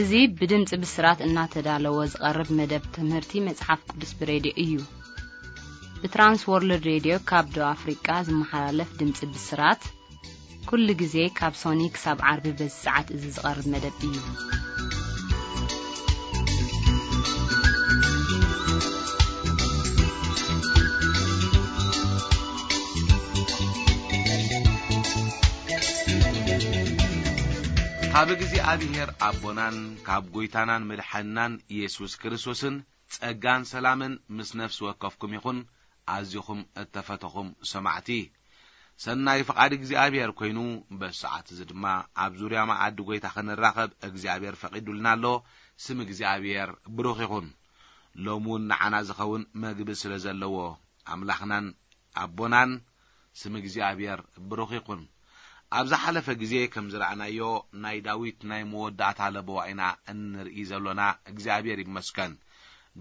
እዚ ብድምጺ ብስራት እናተዳለወ ዝቐርብ መደብ ትምህርቲ መጽሓፍ ቅዱስ ብሬድዮ እዩ። ብትራንስ ወርልድ ሬድዮ ካብ ደቡብ ኣፍሪቃ ዝመሓላለፍ ድምጺ ብስራት፣ ኩሉ ግዜ ካብ ሶኒ ክሳብ ዓርቢ በዚ ሰዓት እዚ ዝቐርብ መደብ እዩ። ካብ እግዚኣብሔር ኣቦናን ካብ ጐይታናን መድሓንናን ኢየሱስ ክርስቶስን ጸጋን ሰላምን ምስ ነፍሲ ወከፍኩም ይኹን። ኣዚኹም እተፈተኹም ሰማዕቲ፣ ሰናይ ፍቓድ እግዚኣብሔር ኮይኑ፣ በዚ ሰዓት እዚ ድማ ኣብ ዙርያ መኣዲ ጐይታ ክንራኸብ እግዚኣብሔር ፈቒዱልና ኣሎ። ስም እግዚኣብሔር ብሩኽ ይኹን። ሎሚ እውን ንዓና ዝኸውን መግቢ ስለ ዘለዎ፣ ኣምላኽናን ኣቦናን ስም እግዚኣብሔር ብሩኽ ይኹን። ኣብ ዝሓለፈ ግዜ ከም ዝረኣናዮ፣ ናይ ዳዊት ናይ መወዳእታ ለበዋ ኢና እንርኢ ዘሎና። እግዚኣብሔር ይመስገን።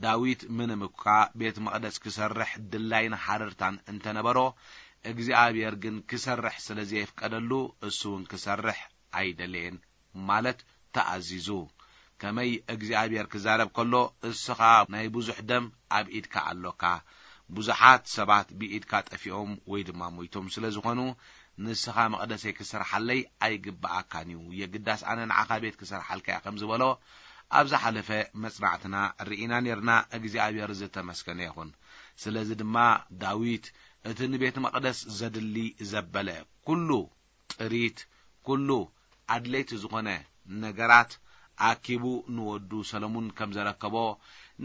ዳዊት ምንም እኳ ቤት መቕደስ ክሰርሕ ድላይን ሃረርታን እንተነበሮ፣ እግዚኣብሔር ግን ክሰርሕ ስለ ዘየፍቀደሉ፣ እሱ እውን ክሰርሕ ኣይደለየን። ማለት ተኣዚዙ። ከመይ እግዚኣብሔር ክዛረብ ከሎ፣ እስኻ ናይ ብዙሕ ደም ኣብ ኢድካ ኣሎካ፣ ብዙሓት ሰባት ብኢድካ ጠፊኦም ወይ ድማ ሞይቶም ስለ ዝኾኑ፣ ንስኻ መቕደሰይ ክሰርሓለይ ኣይግብኣካን እዩ፣ የግዳስ ኣነ ንዓኻ ቤት ክሰርሓልካ እየ ከም ዝበሎ ኣብ ዝሓለፈ መጽናዕትና ርኢና ኔርና። እግዚኣብሔር ዝተመስገነ ይኹን። ስለዚ ድማ ዳዊት እቲ ንቤት መቕደስ ዘድሊ ዘበለ ኩሉ ጥሪት፣ ኩሉ ኣድለይቲ ዝኾነ ነገራት ኣኪቡ ንወዱ ሰለሙን ከም ዘረከቦ፣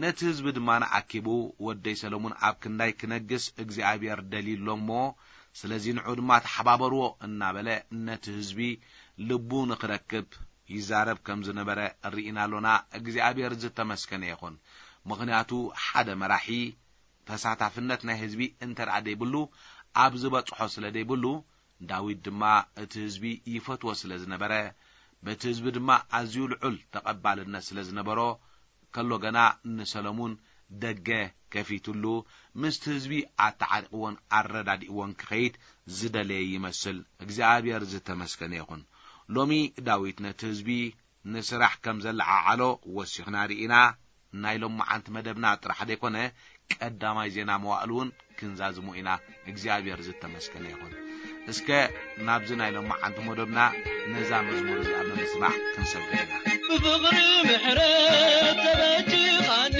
ነቲ ህዝቢ ድማ ንኣኪቡ፣ "ወደይ ሰለሙን ኣብ ክንዳይ ክነግስ እግዚኣብሔር ደልዩ ኣሎ እሞ፣ ስለዚ ንዑ ድማ ተሓባበርዎ" እናበለ ነቲ ህዝቢ ልቡ ንኽረክብ ይዛረብ ከም ዝነበረ ርኢና ኣሎና። እግዚኣብሔር ዝተመስገነ ይኹን። ምኽንያቱ ሓደ መራሒ ተሳታፍነት ናይ ህዝቢ እንተ ደኣ ደይብሉ፣ ኣብ ዝበጽሖ ስለ ደይብሉ፣ ዳዊት ድማ እቲ ህዝቢ ይፈትዎ ስለ ዝነበረ፣ በቲ ህዝቢ ድማ ኣዝዩ ልዑል ተቐባልነት ስለ ዝነበሮ፣ ከሎ ገና ንሰለሙን ደገ ከፊቱሉ፣ ምስቲ ህዝቢ ኣተዓሪቕዎን ኣረዳዲእዎን ክኸይድ ዝደለየ ይመስል። እግዚኣብሔር ዝተመስገነ ይኹን። ሎሚ ዳዊት ነቲ ህዝቢ ንስራሕ ከም ዘለዓዓሎ ወሲኽና ርኢና። ናይ ሎማዓንቲ መደብና ጥራሕ ዘይኮነ፣ ቀዳማይ ዜና መዋእሉ እውን ክንዛዝሞ ኢና። እግዚኣብሔር ዝተመስገነ ይኹን። እስከ ናብዚ ናይ ሎማዓንቲ መደብና ነዛ መዝሙር እዚኣ ብምስማዕ ክንሰግር ኢና። ብፍቕሪ ምሕረት ተበጅኻኒ፣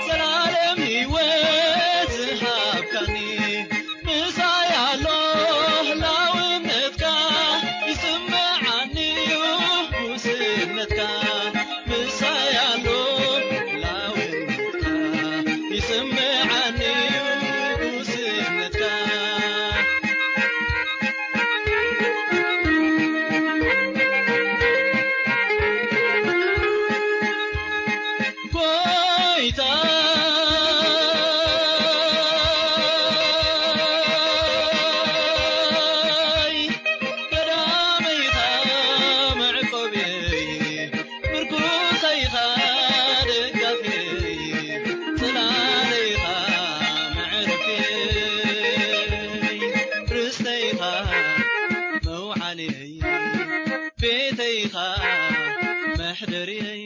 ዘላለም ህይወት ዝሃብካኒ፣ ምሳይ ኣሎ ህላውነትካ፣ ይስምዓኒ እዩ ጉስነትካ። ምሳይ ኣሎ ህላውነትካ፣ ይስምዓኒ እዩ ጉስነትካ። ጎይታይ ቀዳመይታ መዕቆብየይ፣ ምርኩሰይኻ ደጋፍየይ፣ ጽላለይኻ መዕረፍየይ፣ ርስተይኻ መውዓልየይ፣ ቤተይኻ መሕደርየይ።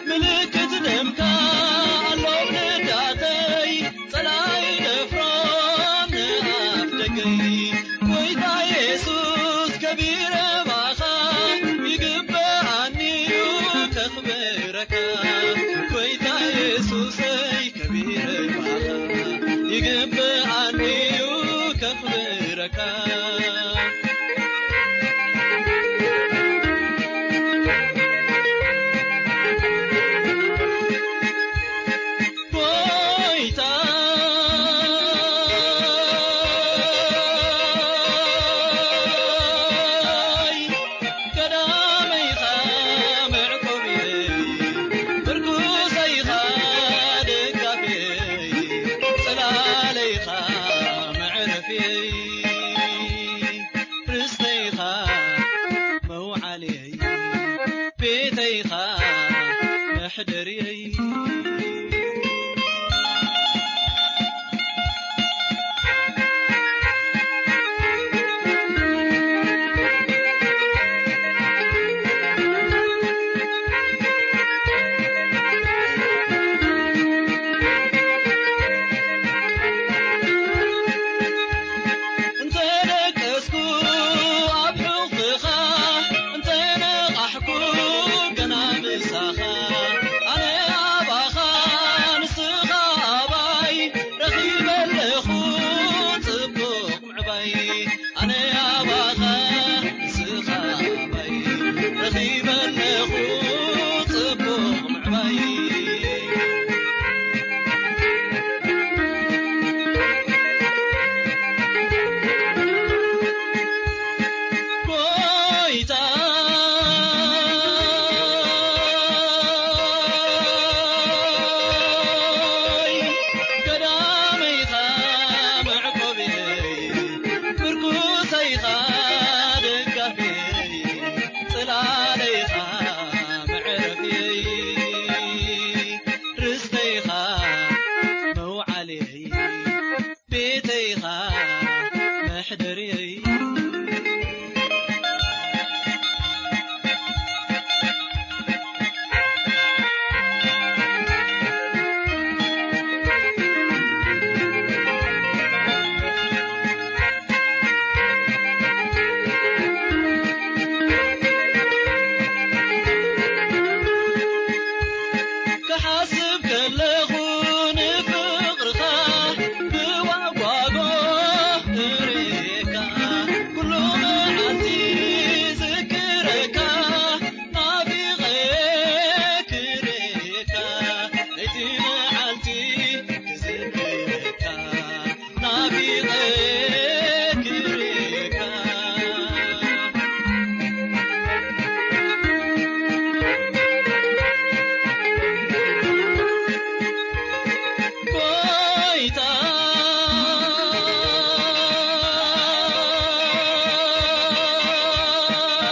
ምልክት ደምካ ኣሎ ልዳተይ፣ ጸላኢ ደፍሮ ንኣፍ ደገይ። ጎይታ የሱስ ከቢረ ባኻ፣ ይግብኣኒ እዩ ከኽብረካ። ጎይታ የሱሰይ ከቢረ ባኻ፣ ይግብኣኒ እዩ ከኽብረካ። ጎይታ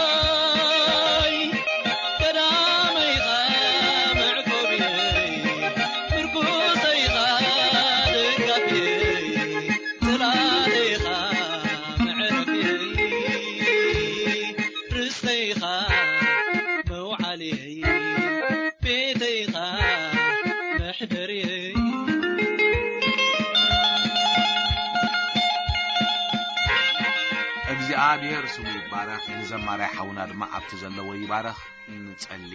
ጌታይ፣ ቀዳመይኻ መዕቆብየይ፣ ምርኩሰይኻ ደጋፍየይ፣ ጽላለይኻ መዕረፍየይ፣ ርስተይኻ መውዓልየይ፣ ቤተይኻ መሕደርየይ። እግዚኣብሔር ስሙ ይባረኽ። ንዘማራይ ሓውና ድማ ኣብቲ ዘለዎ ይባረኽ። ንጸሊ።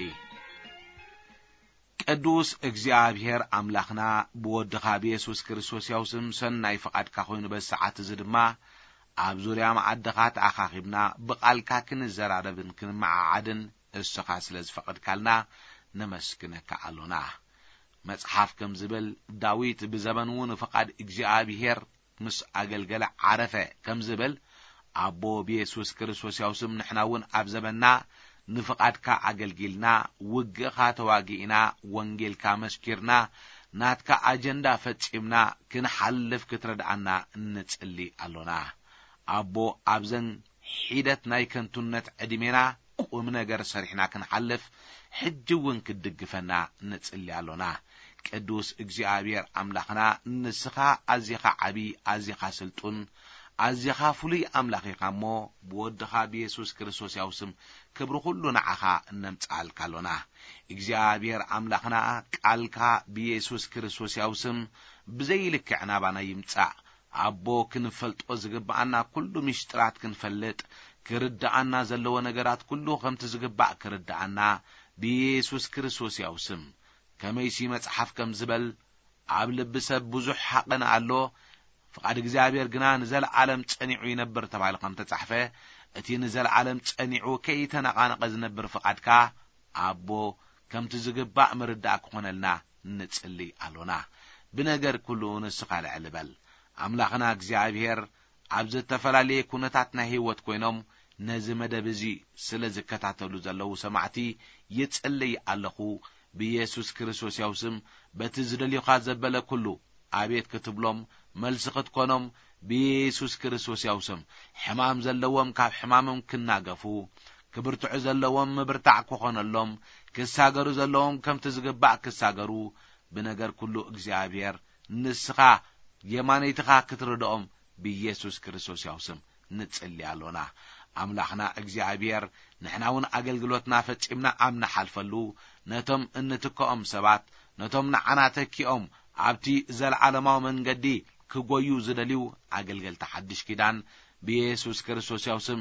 ቅዱስ እግዚኣብሔር ኣምላኽና፣ ብወድኻ ብየሱስ ክርስቶስ ያው ስም ሰናይ ፍቓድካ ኮይኑ፣ በዚ ሰዓት እዚ ድማ ኣብ ዙርያ መዓድኻ ተኣኻኺብና ብቓልካ ክንዘራረብን ክንመዓዓድን እስኻ ስለ ዝፈቐድካልና ነመስግነካ ኣሎና። መጽሓፍ ከም ዝብል፣ ዳዊት ብዘበኑ ንፍቓድ እግዚኣብሔር ምስ ኣገልገለ ዓረፈ ከም ዝብል፣ ኣቦ ብየሱስ ክርስቶስ ያው ስም ንሕና እውን ኣብ ዘበንና ንፍቓድካ ኣገልጊልና፣ ውግእኻ ተዋጊእና፣ ወንጌልካ መስኪርና፣ ናትካ ኣጀንዳ ፈጺምና ክንሓልፍ ክትረድኣና ንጽሊ ኣሎና። ኣቦ፣ ኣብዘን ሒደት ናይ ከንቱነት ዕድሜና ቁም ነገር ሰሪሕና ክንሓልፍ ሕጂ እውን ክትድግፈና ንጽሊ ኣሎና። ቅዱስ እግዚኣብሔር ኣምላኽና፣ ንስኻ ኣዚኻ ዓቢ፣ ኣዚኻ ስልጡን፣ ኣዚኻ ፍሉይ ኣምላኽ ኢኻ እሞ፣ ብወድኻ ብየሱስ ክርስቶስ ያው ስም ክብሪ ኩሉ ንዓኻ እነምጽኣልካ ኣሎና። እግዚኣብሔር ኣምላኽና፣ ቃልካ ብየሱስ ክርስቶስ ያው ስም ብዘይልክዕ ናባና ይምጻእ። ኣቦ፣ ክንፈልጦ ዝግብኣና ኩሉ ምሽጥራት ክንፈልጥ፣ ክርድኣና ዘለዎ ነገራት ኩሉ ከምቲ ዝግባእ ክርድኣና፣ ብየሱስ ክርስቶስ ያው ስም። ከመይሲ መጽሓፍ ከም ዝበል፣ ኣብ ልቢ ሰብ ብዙሕ ሓቕን ኣሎ፣ ፍቓድ እግዚኣብሔር ግና ንዘለዓለም ጸኒዑ ይነብር ተባሂሉ ከም ተጻሕፈ፣ እቲ ንዘለዓለም ጸኒዑ ከይተነቓነቐ ዝነብር ፍቓድካ፣ ኣቦ፣ ከምቲ ዝግባእ ምርዳእ ክኾነልና ንጽሊ ኣሎና። ብነገር ኩሉ ንስኻ ልዕል በል። ኣምላኽና እግዚኣብሔር፣ ኣብ ዝተፈላለየ ኩነታት ናይ ህይወት ኮይኖም ነዚ መደብ እዚ ስለ ዝከታተሉ ዘለዉ ሰማዕቲ ይጽልይ ኣለኹ። ብየሱስ ክርስቶስ ያው ስም፣ በቲ ዝደልዩኻ ዘበለ ኩሉ ኣቤት ክትብሎም፣ መልሲ ክትኮኖም፣ ብየሱስ ክርስቶስ ያው ስም፣ ሕማም ዘለዎም ካብ ሕማሞም ክናገፉ፣ ክብርትዑ ዘለዎም ምብርታዕ ክኾነሎም፣ ክሳገሩ ዘለዎም ከምቲ ዝግባእ ክሳገሩ፣ ብነገር ኩሉ እግዚኣብሔር ንስኻ የማነይትኻ ክትርድኦም ብኢየሱስ ክርስቶስ ያው ስም ንጽሊ ኣሎና። ኣምላኽና እግዚኣብሔር፣ ንሕና እውን ኣገልግሎትና ፈጺምና ኣብ ንሓልፈሉ፣ ነቶም እንትክኦም ሰባት፣ ነቶም ንዓና ተኪኦም ኣብቲ ዘለዓለማዊ መንገዲ ክጎዩ ዝደልዩ ኣገልገልቲ ሓድሽ ኪዳን፣ ብኢየሱስ ክርስቶስ ያው ስም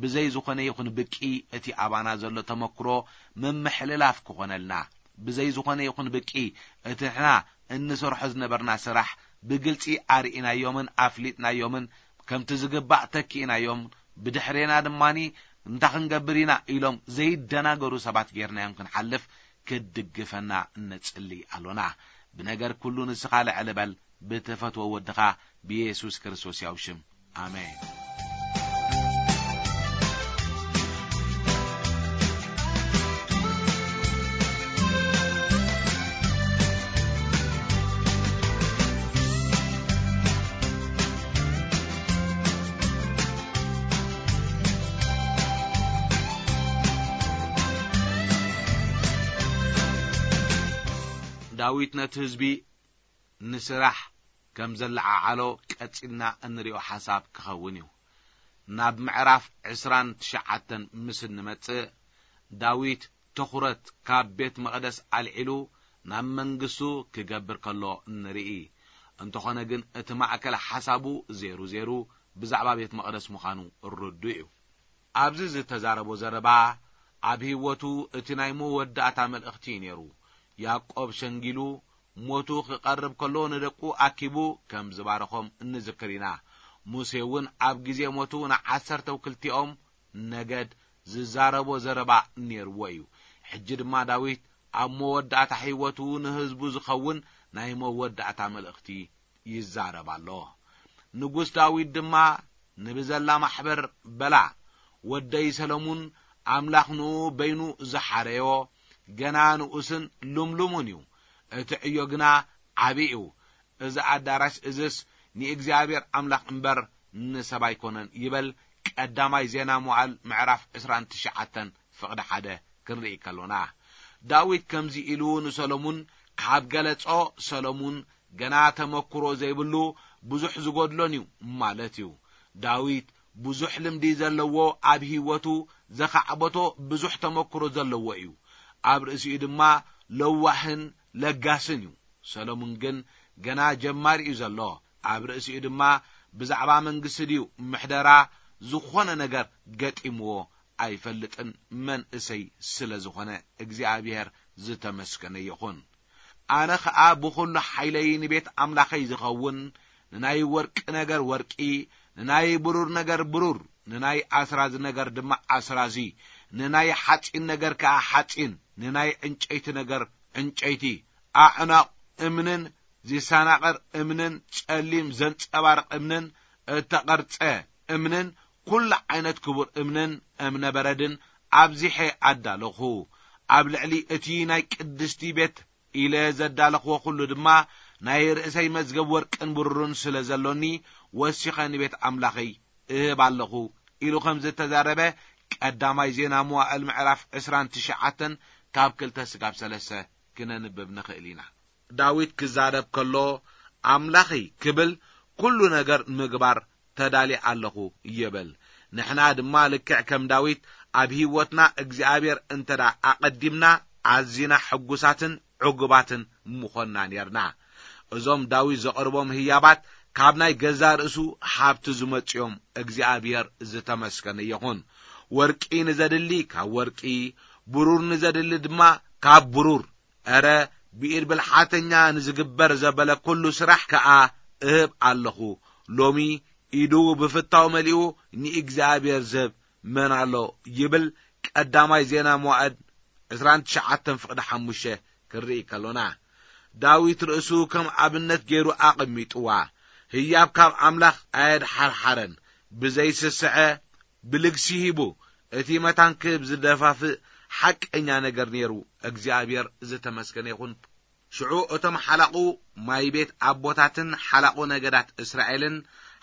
ብዘይ ዝኾነ ይኹን ብቂ እቲ ኣባና ዘሎ ተመክሮ ምምሕልላፍ ክኾነልና፣ ብዘይ ዝኾነ ይኹን ብቂ እቲ ንሕና እንሰርሖ ዝነበርና ስራሕ ብግልጺ ኣርኢናዮምን ኣፍሊጥናዮምን፣ ከምቲ ዝግባእ ተኪእናዮም፣ ብድሕሬና ድማኒ እንታይ ክንገብር ኢና ኢሎም ዘይደናገሩ ሰባት ጌርናዮም ክንሓልፍ ክትድግፈና ንጽሊ ኣሎና። ብነገር ኩሉ ንስኻ ልዕል በል፣ ብትፈትዎ ወድኻ ብኢየሱስ ክርስቶስ ያው ሽም። ኣሜን። ዳዊት ነቲ ህዝቢ ንስራሕ ከም ዘለዓዓሎ ቀጺልና እንሪኦ ሓሳብ ክኸውን እዩ። ናብ ምዕራፍ ዕስራን ትሽዓተን ምስ እንመጽእ፣ ዳዊት ትኹረት ካብ ቤት መቕደስ ኣልዒሉ ናብ መንግስቱ ክገብር ከሎ ንርኢ። እንተኾነ ግን፣ እቲ ማእከል ሓሳቡ ዜሩ ዜሩ ብዛዕባ ቤት መቕደስ ምዃኑ ርዱእ እዩ። ኣብዚ ዝተዛረቦ ዘረባ፣ ኣብ ህይወቱ እቲ ናይ መወዳእታ መልእኽቲ እዩ ነይሩ። ያዕቆብ ሸንጊሉ፣ ሞቱ ክቐርብ ከሎ ንደቁ ኣኪቡ ከም ዝባረኾም እንዝክር ኢና። ሙሴ እውን ኣብ ግዜ ሞቱ ንዓሰርተው ክልቲኦም ነገድ ዝዛረቦ ዘረባ ነይርዎ እዩ። ሕጂ ድማ ዳዊት ኣብ መወዳእታ ህይወቱ ንህዝቡ ዝኸውን ናይ መወዳእታ መልእኽቲ ይዛረብ ኣሎ። ንጉስ ዳዊት ድማ ንብዘላ ማሕበር በላ፣ "ወደይ ሰለሙን ኣምላኽ ንኡ በይኑ ዝሓረዮ ገና ንኡስን ልምሉሙን እዩ። እቲ ዕዮ ግና ዓቢ እዩ። እዚ ኣዳራሽ እዝስ ንእግዚኣብሔር ኣምላኽ እምበር ንሰብ ኣይኮነን ይበል። ቀዳማይ ዜና መዋዕል ምዕራፍ ዕስራን ትሽዓተን ፍቕዲ ሓደ ክንርኢ ከሎና፣ ዳዊት ከምዚ ኢሉ ንሰሎሙን ካብ ገለጾ፣ ሰሎሙን ገና ተመክሮ ዘይብሉ ብዙሕ ዝጎድሎን እዩ ማለት እዩ። ዳዊት ብዙሕ ልምዲ ዘለዎ፣ ኣብ ህይወቱ ዘኻዕበቶ ብዙሕ ተመክሮ ዘለዎ እዩ። ኣብ ርእሲኡ ድማ ለዋህን ለጋስን እዩ። ሰሎሙን ግን ገና ጀማሪ እዩ ዘሎ። ኣብ ርእሲኡ ድማ ብዛዕባ መንግስቲ ድዩ ምሕደራ ዝኾነ ነገር ገጢምዎ ኣይፈልጥን፣ መንእሰይ ስለ ዝኾነ። እግዚኣብሔር ዝተመስገነ ይኹን። ኣነ ኸኣ ብኹሉ ሓይለይ ንቤት ኣምላኸይ ዝኸውን ንናይ ወርቂ ነገር ወርቂ፣ ንናይ ብሩር ነገር ብሩር፣ ንናይ ኣስራዚ ነገር ድማ ኣስራዚ፣ ንናይ ሓጺን ነገር ከኣ ሓጺን፣ ንናይ ዕንጨይቲ ነገር ዕንጨይቲ፣ ኣዕናቕ እምንን ዚሰናቐር እምንን ጸሊም ዘንጸባርቕ እምንን እተቐርጸ እምንን ኩሉ ዓይነት ክቡር እምንን እምነ በረድን ኣብዚሐ ኣዳለኹ። ኣብ ልዕሊ እቲ ናይ ቅድስቲ ቤት ኢለ ዘዳለኽዎ ኩሉ ድማ ናይ ርእሰይ መዝገብ ወርቅን ብሩርን ስለ ዘሎኒ፣ ወሲኸ ንቤት ኣምላኸይ እህብ ኣለኹ ኢሉ ከም ዝተዛረበ ቀዳማይ ዜና መዋዕል ምዕራፍ ዕስራን ትሽዓተን ካብ ክልተ ስጋብ ሰለስተ ክነንብብ ንኽእል ኢና። ዳዊት ክዛረብ ከሎ፣ ኣምላኸይ ክብል ኩሉ ነገር ንምግባር ተዳልየ ኣለኹ ይብል። ንሕና ድማ ልክዕ ከም ዳዊት ኣብ ህይወትና እግዚኣብሔር እንተ ደኣ ኣቐዲምና፣ ኣዚና ሕጉሳትን ዕጉባትን ምኾንና ኔርና። እዞም ዳዊት ዘቕርቦም ህያባት ካብ ናይ ገዛ ርእሱ ሃብቲ ዝመጽኦም እግዚኣብሔር ዝተመስገነ ይኹን። ወርቂ ንዘድሊ ካብ ወርቂ፣ ብሩር ንዘድሊ ድማ ካብ ብሩር፣ እረ ብኢድ ብልሓተኛ ንዝግበር ዘበለ ኩሉ ስራሕ ከኣ እህብ ኣለኹ። ሎሚ ኢዱ ብፍታው መሊኡ ንእግዚኣብሔር ዝህብ መን ኣሎ? ይብል ቀዳማይ ዜና መዋዕል ዕስራን ትሽዓተን ፍቕዲ ሓሙሽተ ክንርኢ ከሎና፣ ዳዊት ርእሱ ከም ኣብነት ገይሩ ኣቐሚጥዋ። ህያብ ካብ ኣምላኽ ኣየድሓርሓረን። ብዘይስስዐ ብልግሲ ሂቡ፣ እቲ መታን ክህብ ዝደፋፍእ ሓቀኛ ነገር ነይሩ። እግዚኣብሔር ዝተመስገነ ይኹን። ሽዑ እቶም ሓላቑ ማይ ቤት ኣቦታትን ሓላቑ ነገዳት እስራኤልን፣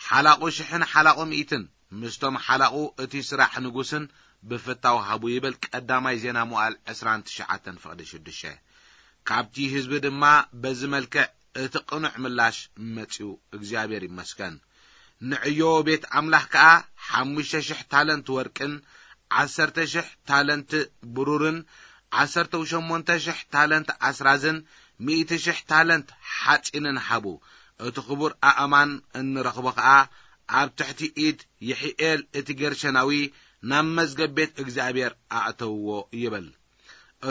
ሓላቑ ሽሕን ሓላቑ ሚእትን፣ ምስቶም ሓላቑ እቲ ስራሕ ንጉስን ብፍታው ሃቡ ይብል ቀዳማይ ዜና መዋዕል ዕስራን ትሽዓተን ፍቕዲ ሽዱሽተ። ካብቲ ህዝቢ ድማ በዚ መልክዕ እቲ ቅኑዕ ምላሽ መጺኡ፣ እግዚኣብሔር ይመስገን። ንዕዮ ቤት ኣምላኽ ከኣ ሓሙሽተ ሽሕ ታለንት ወርቅን፣ ዓሰርተ ሽሕ ታለንት ብሩርን፣ ዓሰርተ ሸሞንተ ሽሕ ታለንት ኣስራዝን፣ ሚእቲ ሽሕ ታለንት ሓጺንን ሃቡ። እቲ ክቡር ኣእማን እንረኽቦ ከኣ ኣብ ትሕቲ ኢድ ይሒኤል እቲ ጌርሸናዊ ናብ መዝገብ ቤት እግዚኣብሔር ኣእተውዎ ይብል።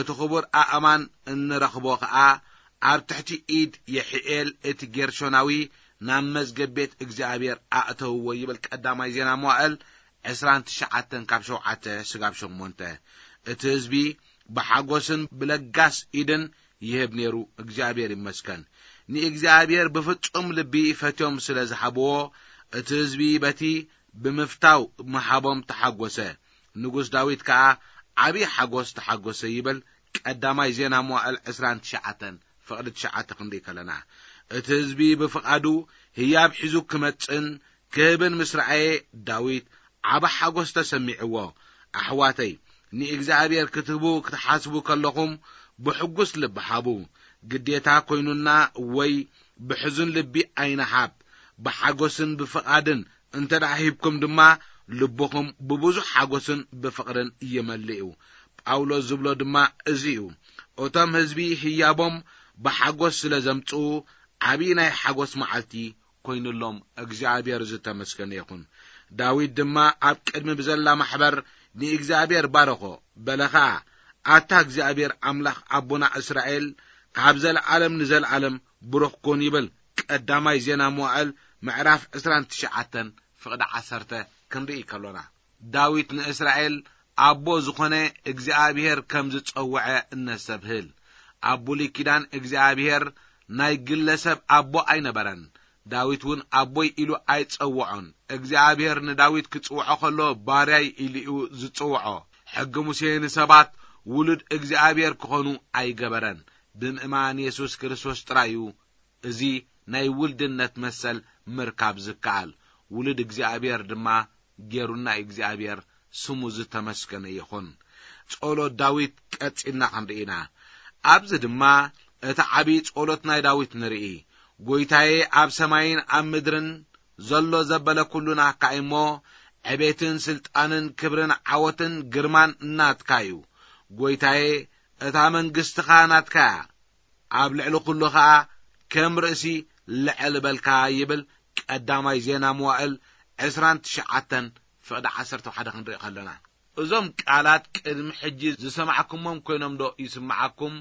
እቲ ክቡር ኣእማን እንረኽቦ ኸኣ ኣብ ትሕቲ ኢድ የሒኤል እቲ ጌርሾናዊ ናብ መዝገብ ቤት እግዚኣብሔር ኣእተውዎ ይብል ቀዳማይ ዜና መዋዕል ዕስራን ትሽዓተን ካብ ሸውዓተ ስጋብ ሸሞንተ። እቲ ህዝቢ ብሓጎስን ብለጋስ ኢድን ይህብ ነይሩ። እግዚኣብሔር ይመስገን። ንእግዚኣብሔር ብፍጹም ልቢ ፈትዮም ስለ ዝሃብዎ፣ እቲ ህዝቢ በቲ ብምፍታው ምሃቦም ተሓጎሰ። ንጉስ ዳዊት ከኣ ዓቢ ሓጎስ ተሓጎሰ ይብል ቀዳማይ ዜና መዋዕል ዕስራን ትሽዓተን ፍቕዲ ትሽዓተ ክንርኢ ከለና። እቲ ህዝቢ ብፍቓዱ ህያብ ሒዙ ክመጽእን ክህብን ምስ ረኣየ ዳዊት ዓቢ ሓጎስ ተሰሚዕዎ። ኣሕዋተይ፣ ንእግዚኣብሔር ክትህቡ ክትሓስቡ ከለኹም ብሕጉስ ልቢ ሃቡ። ግዴታ ኮይኑና ወይ ብሕዙን ልቢ ኣይንሃብ። ብሓጎስን ብፍቓድን እንተ ደኣ ሂብኩም ድማ ልብኹም ብብዙሕ ሓጎስን ብፍቕርን ይመልእ እዩ። ጳውሎስ ዝብሎ ድማ እዚ እዩ። እቶም ህዝቢ ህያቦም ብሓጎስ ስለ ዘምጽኡ ዓቢ ናይ ሓጎስ መዓልቲ ኮይኑሎም። እግዚኣብሔር ዝተመስገነ ይኹን። ዳዊት ድማ ኣብ ቅድሚ ብዘላ ማሕበር ንእግዚኣብሔር ባረኾ። በለ ኸኣ፣ ኣታ እግዚኣብሔር ኣምላኽ ኣቦና እስራኤል ካብ ዘለዓለም ንዘለዓለም ብሩኽ ኩን ይብል ቀዳማይ ዜና መዋዕል ምዕራፍ ዕስራን ትሽዓተን ፍቕዲ ዓሰርተ ክንርኢ ከሎና። ዳዊት ንእስራኤል ኣቦ ዝኾነ እግዚኣብሔር ከም ዝጸውዐ እነስተብህል። ኣብ ብሉይ ኪዳን እግዚኣብሔር ናይ ግለሰብ ኣቦ ኣይነበረን። ዳዊት እውን ኣቦይ ኢሉ ኣይጸውዖን። እግዚኣብሔር ንዳዊት ክጽውዖ ከሎ ባርያይ ኢሉ እዩ ዝጽውዖ። ሕጊ ሙሴ ንሰባት ውሉድ እግዚኣብሔር ክኾኑ ኣይገበረን። ብምእማን የሱስ ክርስቶስ ጥራይ እዩ እዚ ናይ ውልድነት መሰል ምርካብ ዝከኣል። ውሉድ እግዚኣብሔር ድማ ጌሩና እዩ። እግዚኣብሔር ስሙ ዝተመስገነ ይኹን። ጸሎት ዳዊት ቀጺልና ክንርኢ ኢና። ኣብዚ ድማ እቲ ዓቢ ጸሎት ናይ ዳዊት ንርኢ። "ጐይታዬ፣ ኣብ ሰማይን ኣብ ምድርን ዘሎ ዘበለ ኩሉ ናትካ እዩ እሞ፣ ዕቤትን ስልጣንን ክብርን ዓወትን ግርማን ናትካ እዩ። ጐይታዬ፣ እታ መንግስትኻ ናትካ እያ፣ ኣብ ልዕሊ ኩሉ ኸኣ ከም ርእሲ ልዕል በልካ" ይብል ቀዳማይ ዜና መዋእል ዕስራን ትሽዓተን ፍቕዲ ዓሰርተ ሓደ ክንርኢ ከለና። እዞም ቃላት ቅድሚ ሕጂ ዝሰማዕኩሞም ኮይኖም ዶ ይስምዓኩም?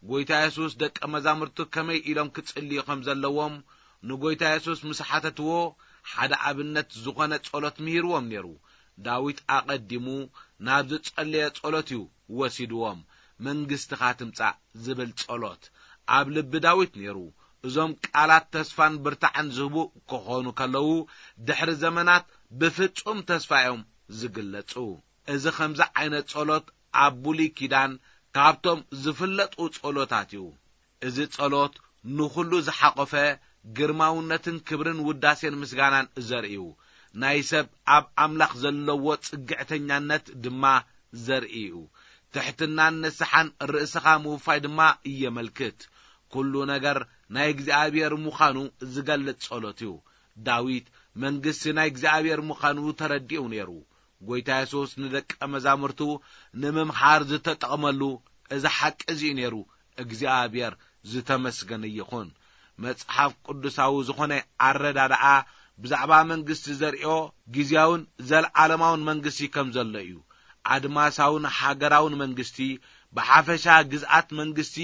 ጐይታ የሱስ ደቀ መዛሙርቱ ከመይ ኢሎም ክጽልዩ ከም ዘለዎም ንጐይታ የሱስ ምስ ሓተትዎ፣ ሓደ ኣብነት ዝኾነ ጸሎት ምሂርዎም ነይሩ። ዳዊት ኣቐዲሙ ናብ ዝጸለየ ጸሎት እዩ ወሲድዎም። "መንግስትኻ ትምጻእ" ዝብል ጸሎት ኣብ ልቢ ዳዊት ነይሩ። እዞም ቃላት ተስፋን ብርታዕን ዝህቡ ክኾኑ ከለዉ፣ ድሕሪ ዘመናት ብፍጹም ተስፋ እዮም ዝግለጹ። እዚ ከምዚ ዓይነት ጸሎት ኣብ ብሉይ ኪዳን ካብቶም ዝፍለጡ ጸሎታት እዩ። እዚ ጸሎት ንኹሉ ዝሓቖፈ፣ ግርማውነትን ክብርን ውዳሴን ምስጋናን ዘርእዩ፣ ናይ ሰብ ኣብ ኣምላኽ ዘለዎ ጽግዕተኛነት ድማ ዘርኢ እዩ። ትሕትናን ንስሓን ርእስኻ ምውፋይ ድማ የመልክት። ኩሉ ነገር ናይ እግዚኣብሔር ምዃኑ ዝገልጽ ጸሎት እዩ። ዳዊት መንግስቲ ናይ እግዚኣብሔር ምዃኑ ተረዲኡ ነይሩ። ጐይታ የሱስ ንደቀ መዛሙርቱ ንምምሃር ዝተጠቕመሉ እዚ ሓቂ እዚ እዩ ነይሩ። እግዚኣብሔር ዝተመስገነ ይኹን። መጽሓፍ ቅዱሳዊ ዝኾነ ኣረዳድኣ ብዛዕባ መንግስቲ ዘርእዮ ግዝያውን ዘለዓለማውን መንግስቲ ከም ዘሎ እዩ። ኣድማሳውን ሃገራውን መንግስቲ፣ ብሓፈሻ ግዝኣት መንግስቲ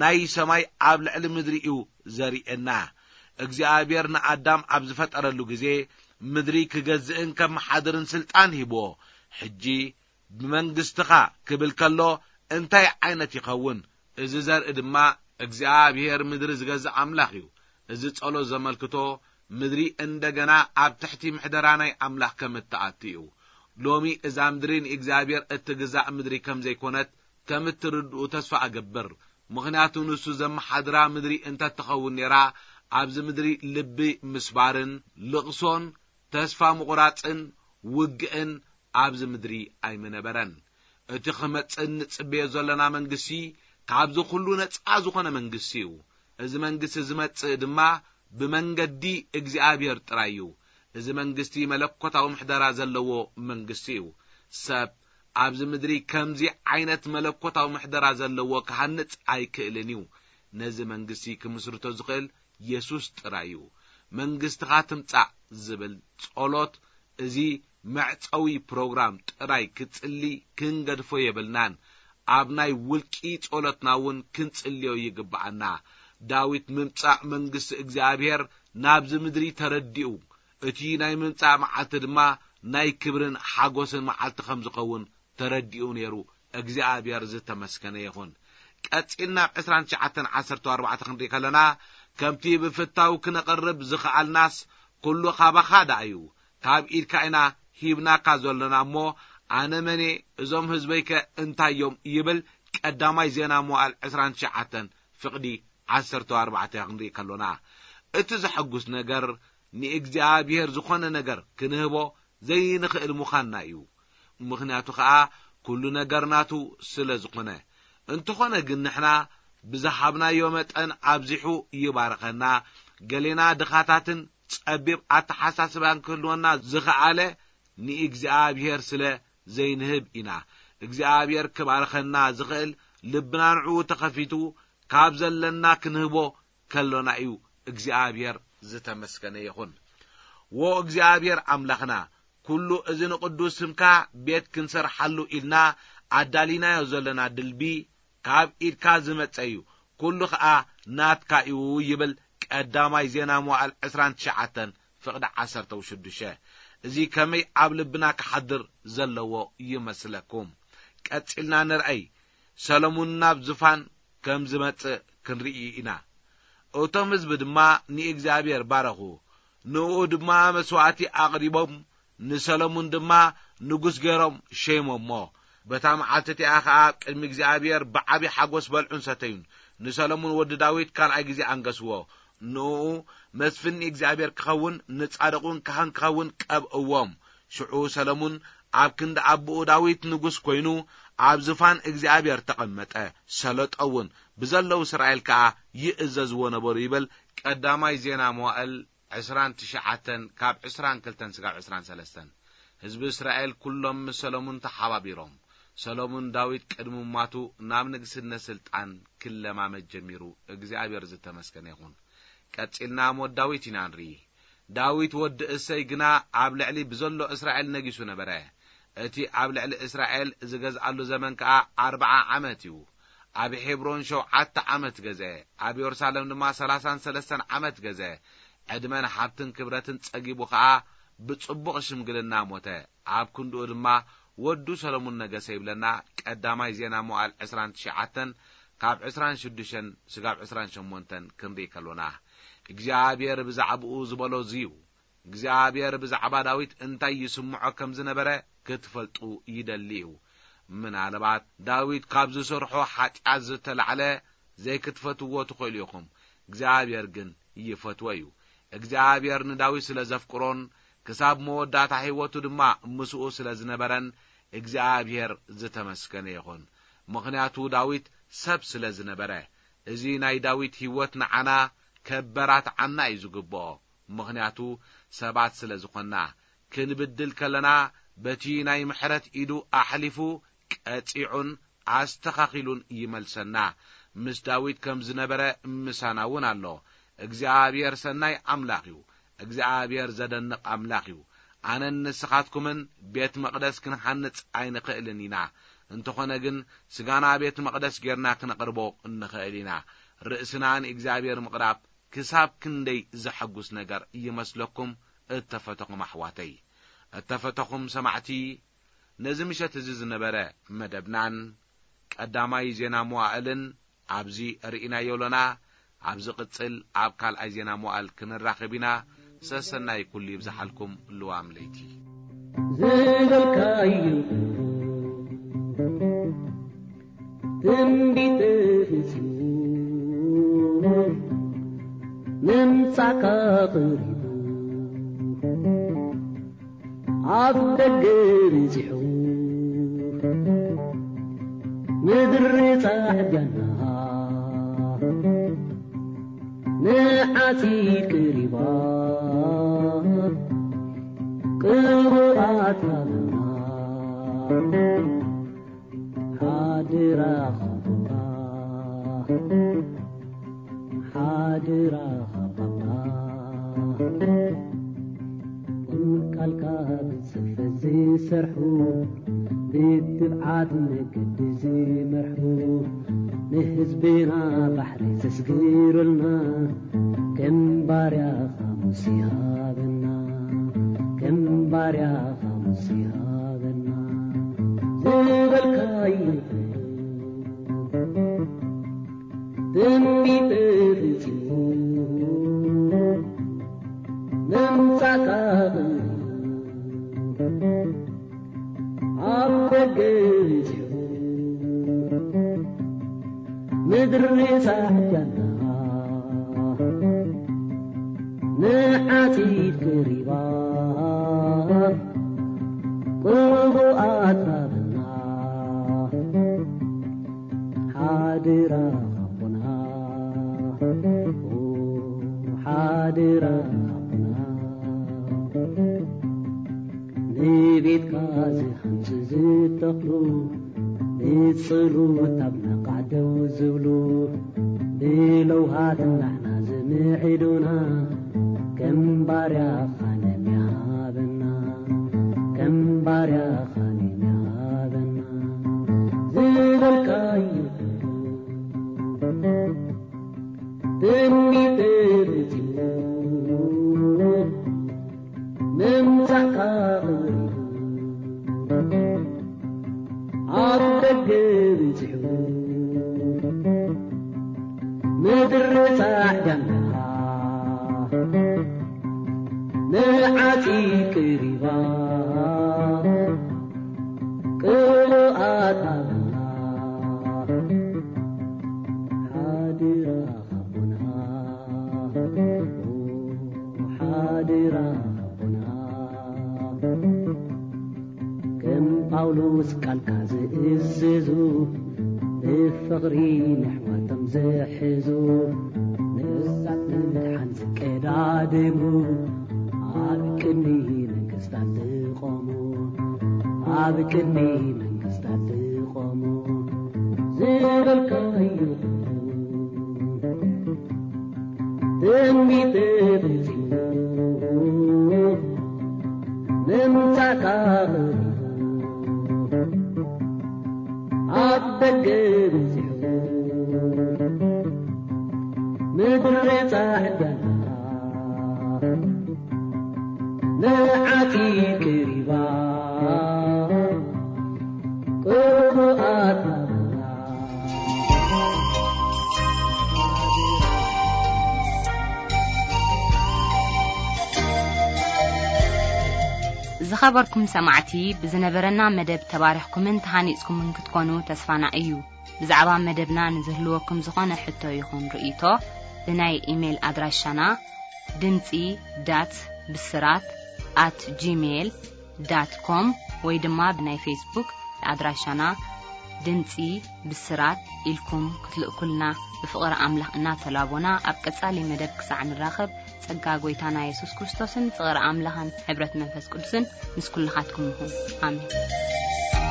ናይ ሰማይ ኣብ ልዕሊ ምድሪ እዩ ዘርእየና። እግዚኣብሔር ንኣዳም ኣብ ዝፈጠረሉ ግዜ፣ ምድሪ ክገዝእን ከመሓድርን ስልጣን ሂብዎ። ሕጂ ብመንግስትኻ ክብል ከሎ እንታይ ዓይነት ይኸውን? እዚ ዘርኢ ድማ እግዚኣብሔር ምድሪ ዝገዝእ ኣምላኽ እዩ። እዚ ጸሎት ዘመልክቶ ምድሪ እንደገና ኣብ ትሕቲ ምሕደራ ናይ ኣምላኽ ከም እትኣቱ እዩ። ሎሚ እዛ ምድሪ ንእግዚኣብሔር እትግዛእ ምድሪ ከም ዘይኮነት ከም እትርድኡ ተስፋ እገብር። ምኽንያቱ ንሱ ዘመሓድራ ምድሪ እንተትኸውን ነይራ፣ ኣብዚ ምድሪ ልቢ ምስባርን ልቕሶን ተስፋ ምቑራጽን ውግእን ኣብዚ ምድሪ ኣይምነበረን። እቲ ክመጽእ እንጽበዮ ዘለና መንግስቲ ካብዚ ኩሉ ነጻ ዝኾነ መንግስቲ እዩ። እዚ መንግስቲ ዝመጽእ ድማ ብመንገዲ እግዚኣብሔር ጥራይ እዩ። እዚ መንግስቲ መለኮታዊ ምሕደራ ዘለዎ መንግስቲ እዩ። ሰብ ኣብዚ ምድሪ ከምዚ ዓይነት መለኮታዊ ምሕደራ ዘለዎ ክሃንጽ ኣይክእልን እዩ። ነዚ መንግስቲ ክምስርቶ ዝኽእል የሱስ ጥራይ እዩ። መንግስትኻ ትምጻእ ዝብል ጸሎት፣ እዚ መዕጸዊ ፕሮግራም ጥራይ ክጽሊ ክንገድፎ የብልናን። ኣብ ናይ ውልቂ ጸሎትና እውን ክንጽልዮ ይግብኣና። ዳዊት ምምጻእ መንግስቲ እግዚኣብሔር ናብዚ ምድሪ ተረዲኡ፣ እቲ ናይ ምምጻእ መዓልቲ ድማ ናይ ክብርን ሓጎስን መዓልቲ ከም ዝኸውን ተረዲኡ ነይሩ። እግዚኣብሔር ዝተመስገነ ይኹን። ቀጺልና ኣብ ዕስራን ትሽዓተን ዓሰርተ ኣርባዕተ ክንርኢ ከለና፣ "ከምቲ ብፍታው ክነቐርብ ዝኸኣልናስ፣ ኩሉ ካባኻ ደኣ እዩ። ካብ ኢድካ ኢና ሂብናካ ዘሎና እሞ፣ ኣነ መን እየ? እዞም ህዝበይከ እንታይ እዮም?" ይብል ቀዳማይ ዜና መዋዕል ዕስራን ትሽዓተን ፍቕዲ ዓሰርተ ኣርባዕተ ክንርኢ ከሎና፣ እቲ ዘሐጉስ ነገር፣ ንእግዚኣብሔር ዝኾነ ነገር ክንህቦ ዘይንኽእል ምዃንና እዩ። ምኽንያቱ ኸኣ፣ ኩሉ ነገር ናቱ ስለ ዝኾነ። እንተኾነ ግን፣ ንሕና ብዝሃብናዮ መጠን ኣብዚሑ ይባርኸና። ገሌና ድኻታትን ጸቢብ ኣተሓሳስባን ክህልወና ዝኸኣለ፣ ንእግዚኣብሔር ስለ ዘይንህብ ኢና። እግዚኣብሔር ክባርኸና ዝኽእል፣ ልብና ንዕኡ ተኸፊቱ፣ ካብ ዘለና ክንህቦ ከሎና እዩ። እግዚኣብሔር ዝተመስገነ ይኹን። ዎ እግዚኣብሔር ኣምላኽና፣ ኩሉ እዚ ንቕዱስ ስምካ ቤት ክንሰርሓሉ ኢልና ኣዳሊናዮ ዘለና ድልቢ፣ ካብ ኢድካ ዝመጸ እዩ፣ ኩሉ ኸኣ ናትካ እዩ ይብል ቀዳማይ ዜና መዋዕል ዕስራን ትሽዓተን ፍቕዲ ዓሰርተ ሽዱሽተ። እዚ ከመይ ኣብ ልብና ክሓድር ዘለዎ ይመስለኩም? ቀጺልና ንርኣይ። ሰሎሙን ናብ ዝፋን ከም ዝመጽእ ክንርኢ ኢና። እቶም ህዝቢ ድማ ንእግዚኣብሔር ባረኹ። ንእኡ ድማ መስዋዕቲ ኣቕሪቦም፣ ንሰሎሙን ድማ ንጉስ ገይሮም ሸይሞሞ። በታ መዓልቲ እቲኣ ኸኣ ኣብ ቅድሚ እግዚኣብሔር ብዓቢ ሓጎስ በልዑን ሰተዩን። ንሰሎሙን ወዲ ዳዊት ካልኣይ ግዜ ኣንገስዎ። ንእኡ መስፍን ንእግዚኣብሔር ክኸውን፣ ንጻድቕ እውን ካህን ክኸውን ቀብእዎም። ሽዑ ሰለሙን ኣብ ክንዲ ኣቦኡ ዳዊት ንጉስ ኮይኑ ኣብ ዝፋን እግዚኣብሔር ተቐመጠ። ሰለጦ እውን ብዘለዉ እስራኤል ከኣ ይእዘዝዎ ነበሩ ይብል ቀዳማይ ዜና መዋእል ዕስራን ትሽዓተን ካብ ዕስራን ክልተን ስጋብ ዕስራን ሰለስተን። ህዝቢ እስራኤል ኩሎም ምስ ሰለሙን ተሓባቢሮም። ሰሎሙን ዳዊት ቅድሚ ምማቱ ናብ ንግስነት ስልጣን ክለማመድ ጀሚሩ። እግዚኣብሔር ዝተመስገነ ይኹን። ቀጺልና ሞት ዳዊት ኢና ንርኢ። ዳዊት ወዲ እሰይ ግና ኣብ ልዕሊ ብዘሎ እስራኤል ነጊሱ ነበረ። እቲ ኣብ ልዕሊ እስራኤል ዝገዝኣሉ ዘመን ከኣ ኣርብዓ ዓመት እዩ። ኣብ ሄብሮን ሸውዓተ ዓመት ገዘ፣ ኣብ የሩሳሌም ድማ ሰላሳን ሰለስተን ዓመት ገዘ። ዕድመን ሃብትን ክብረትን ጸጊቡ ከኣ ብጽቡቕ ሽምግልና ሞተ። ኣብ ክንድኡ ድማ ወዱ ሰሎሙን ነገሰ ይብለና። ቀዳማይ ዜና መዋዕል ዕስራን ትሽዓተን ካብ ዕስራን ሽዱሽተን ስጋብ ዕስራን ሸሞንተን ክንርኢ ከሎና፣ እግዚኣብሔር ብዛዕባኡ ዝበሎ እዚ እዩ። እግዚኣብሔር ብዛዕባ ዳዊት እንታይ ይስምዖ ከም ዝነበረ ክትፈልጡ ይደሊ እዩ። ምናልባት ዳዊት ካብ ዝሰርሖ ሓጢኣት ዝተላዕለ ዘይክትፈትዎ ትኽእሉ ኢኹም። እግዚኣብሔር ግን ይፈትዎ እዩ። እግዚኣብሔር ንዳዊት ስለ ዘፍቅሮን ክሳብ መወዳእታ ህይወቱ ድማ ምስኡ ስለ ዝነበረን እግዚኣብሔር ዝተመስገነ ይኹን። ምኽንያቱ ዳዊት ሰብ ስለ ዝነበረ። እዚ ናይ ዳዊት ህይወት ንዓና ከበራትዓና እዩ ዝግብኦ። ምኽንያቱ ሰባት ስለ ዝኾንና። ክንብድል ከለና በቲ ናይ ምሕረት ኢዱ ኣሕሊፉ ቀጺዑን ኣስተኻኺሉን ይመልሰና። ምስ ዳዊት ከም ዝነበረ ምሳና እውን ኣሎ። እግዚኣብሔር ሰናይ ኣምላኽ እዩ። እግዚኣብሔር ዘደንቕ ኣምላኽ እዩ። ኣነን ንስኻትኩምን ቤት መቕደስ ክንሃንጽ ኣይንኽእልን ኢና። እንተኾነ ግን ስጋና ቤት መቕደስ ጌርና ክነቕርቦ እንኽእል ኢና። ርእስና ንእግዚኣብሔር ምቕራብ ክሳብ ክንደይ ዘሐጉስ ነገር ይመስለኩም? እተፈተኹም ኣሕዋተይ፣ እተፈተኹም ሰማዕቲ፣ ነዚ ምሸት እዚ ዝነበረ መደብናን ቀዳማይ ዜና መዋእልን ኣብዚ ርኢናዮ ኣሎና። ኣብ ዝቕጽል ኣብ ካልኣይ ዜና መዋእል ክንራኸብ ኢና። ሰሰናይ ኩሉ ይብዝሓልኩም። ልዋም ለይቲ። ዝበልካዩ ትንቢት ፍጺሙ ምምጻእካ ቀሪቡ ኣብ ደገ በጺሑ ምድሪ ጻዕዳና ንዓጺድ ቀሪባ ቅቡኣት ሃበና ሓደራ ኻቦታ ሓደራ ኻባባ ቃልካ ብጽፈት ዝሰርሑ ብትብዓት መገዲ ዝመርሑ ንህዝብና ባሕሪ ዘስግሩልና ከም ባርያኻ ሙሴ ሃበና ከም ባርያኻ ሙሴ ሃበና ዝበልካዩ ትንቢት ፈጺሙ ምምጻእካ ኣብ ደገ በጺሑ ምድሪ ጻዕዳና ንዓጺድ ቀሪባ ቅቡኣት ሃበና ሓደራ ኻቦና ሓደራ ኻቦና ንቤትካ ዝሃንጹ ዝተኽሉ ብጸሎት ኣብ ነቓዕ ደው ዝብሉ ብለውሃት ናሕና ዝምዕዱና ከም ባርያኻ ነሚሃበና ከም ባርያኻ ነሚሃበና ዝበልካዩ ትንቢት ፈጺሙ ምምጻእካ ቀሪቡ ኣብ ደገ በጺሑ ምድሪ ጻዕዳና ንዓጺድ ቀሪባ ቅቡኣት ሃበና ሓደራ ኻቦና ኣደራ ኣቦና፣ ከም ጳውሎስ ቃልካ ዝእዝዙ፣ ብፍቕሪ ንሕዋቶም ዝሕዙ፣ ንሳት ንምድሓን ዝቀዳደሙ፣ ኣብ ቅድሚ መንግስታት ዝቖሙ፣ ኣብ ቅድሚ መንግስታት ዝቖሙ፣ ዝበልካዮ ትንቢት ፈጺሙ ምምጻእካ ቀሪቡ፣ ኣብ ደገ በጺሑ ምድሪ ጻዕዳና ንዓቲ ቀሪባ ቅቡኣት ናብና። ዝኸበርኩም ሰማዕቲ፣ ብዝነበረና መደብ ተባሪኽኩምን ተሃኒጽኩምን ክትኮኑ ተስፋና እዩ። ብዛዕባ መደብና ንዝህልወኩም ዝኾነ ሕቶ ይኹን ርእይቶ፣ ብናይ ኢሜይል ኣድራሻና ድምጺ ዳት ብስራት ኣት ጂሜይል ዳት ኮም ወይ ድማ ብናይ ፌስቡክ ኣድራሻና ድምጺ ብስራት ኢልኩም ክትልእኩልና ብፍቕሪ ኣምላኽ እናተላቦና፣ ኣብ ቀጻሊ መደብ ክሳዕ ንራኸብ፣ ጸጋ ጐይታና የሱስ ክርስቶስን ፍቕሪ ኣምላኽን ሕብረት መንፈስ ቅዱስን ምስ ኩልኻትኩም ይኹን። ኣሜን።